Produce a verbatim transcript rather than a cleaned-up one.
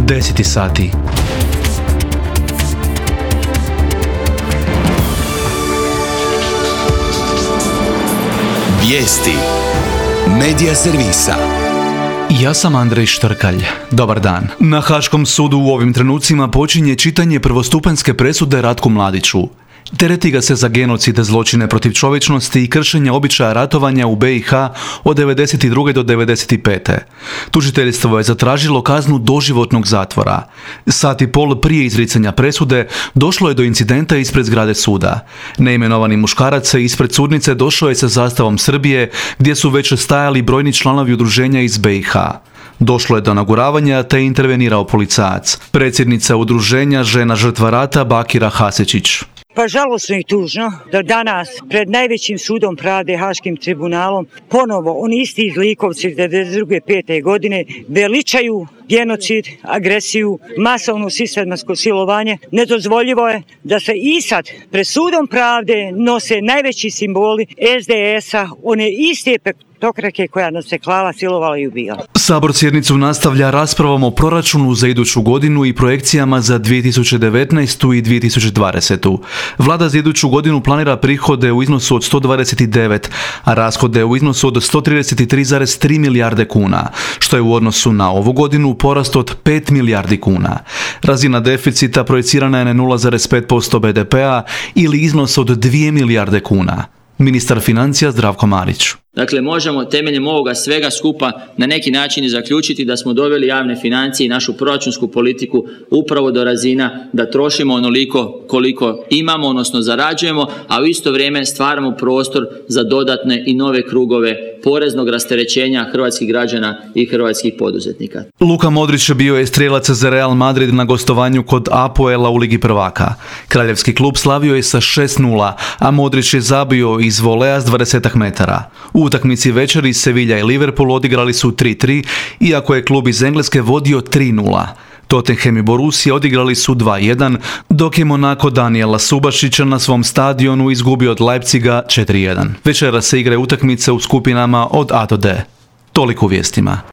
deseti sati. Vijesti Medija servisa. Ja sam Andrej Štrkalj. Dobar dan. Na Haškom sudu u ovim trenucima počinje čitanje prvostupanjske presude Ratku Mladiću. Tereti ga se za genocide, zločine protiv čovječnosti i kršenja običaja ratovanja u be i ha od devedeset druge do devedeset pete. Tužiteljstvo je zatražilo kaznu doživotnog zatvora. Sat i pol prije izricanja presude došlo je do incidenta ispred zgrade suda. Neimenovani muškarac ispred sudnice došao je sa zastavom Srbije, gdje su već stajali brojni članovi udruženja iz be i ha. Došlo je do naguravanja te je intervenirao policajac. Predsjednica udruženja Žena žrtva rata Bakira Hasečić. Pa žalosno i tužno da danas pred najvećim sudom pravde, Haškim tribunalom, ponovo oni isti zlikovci iz devedeset druge pete godine veličaju genocid, agresiju, masovno sistematsko silovanje. Nedozvoljivo je da se i sad pred sudom pravde nose najveći simboli es de es-a, one iste pektokrake koja nas je klala, silovala i ubijala. Sabor sjednicu nastavlja raspravom o proračunu za iduću godinu i projekcijama za dvije tisuće devetnaestu. i dvije tisuće dvadesetu. Vlada za iduću godinu planira prihode u iznosu od sto dvadeset devet, a rashode u iznosu od sto trideset tri zarez tri milijarde kuna, što je u odnosu na ovu godinu porast od pet milijardi kuna. Razina deficita projicirana je na nula zarez pet posto be de pe-a ili iznos od dvije milijarde kuna. Ministar financija Zdravko Marić. Dakle, možemo temeljem ovoga svega skupa na neki način i zaključiti da smo doveli javne financije i našu proračunsku politiku upravo do razina da trošimo onoliko koliko imamo, odnosno zarađujemo, a u isto vrijeme stvaramo prostor za dodatne i nove krugove poreznog rasterećenja hrvatskih građana i hrvatskih poduzetnika. Luka Modrić bio je strijelac za Real Madrid na gostovanju kod Apoela u Ligi prvaka. Kraljevski klub slavio je sa šest nula, a Modrić je zabio iz volea s dvadeset metara. U utakmici večeri Sevilla i Liverpool odigrali su tri tri, iako je klub iz Engleske vodio tri nula. Tottenham i Borussia odigrali su dva jedan, dok je Monaco Daniela Subašića na svom stadionu izgubio od Leipziga četiri jedan. Večera se igraju utakmice u skupinama od A do D. Toliko u vijestima.